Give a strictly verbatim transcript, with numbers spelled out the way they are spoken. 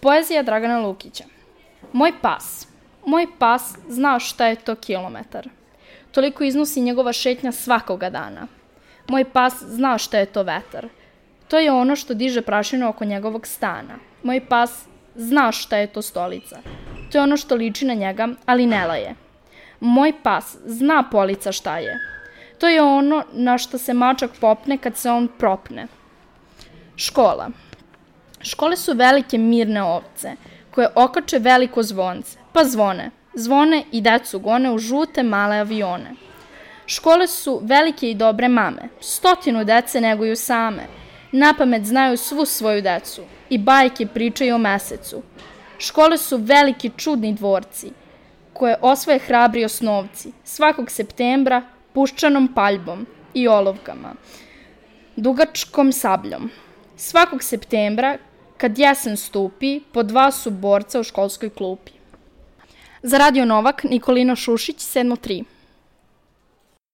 Poezija Dragana Lukića. Moj pas. Moj pas zna šta je to kilometar. Toliko iznosi njegova šetnja svakoga dana. Moj pas zna šta je to vetar. To je ono što diže prašinu oko njegovog stana. Moj pas zna šta je to stolica. To je ono što liči na njega, ali ne laje. Moj pas zna polica šta je. To je ono na što se mačak popne kad se on propne. Škola. Škole su velike mirne ovce, koje okače veliko zvonce, pa zvone. Zvone i decu gone u žute male avione. Škole su velike i dobre mame. Stotinu dece neguju same. Napamet znaju svu svoju decu i bajke pričaju o mesecu. Škole su veliki čudni dvorci, koje osvoje hrabri osnovci, svakog septembra puščanom paljbom i olovkama, dugačkom sabljom. Svakog septembra, kad jesen stupi, po dva su borca u školskoj klupi. Za Radio Novak, Nikolina Šušić, sedam tri.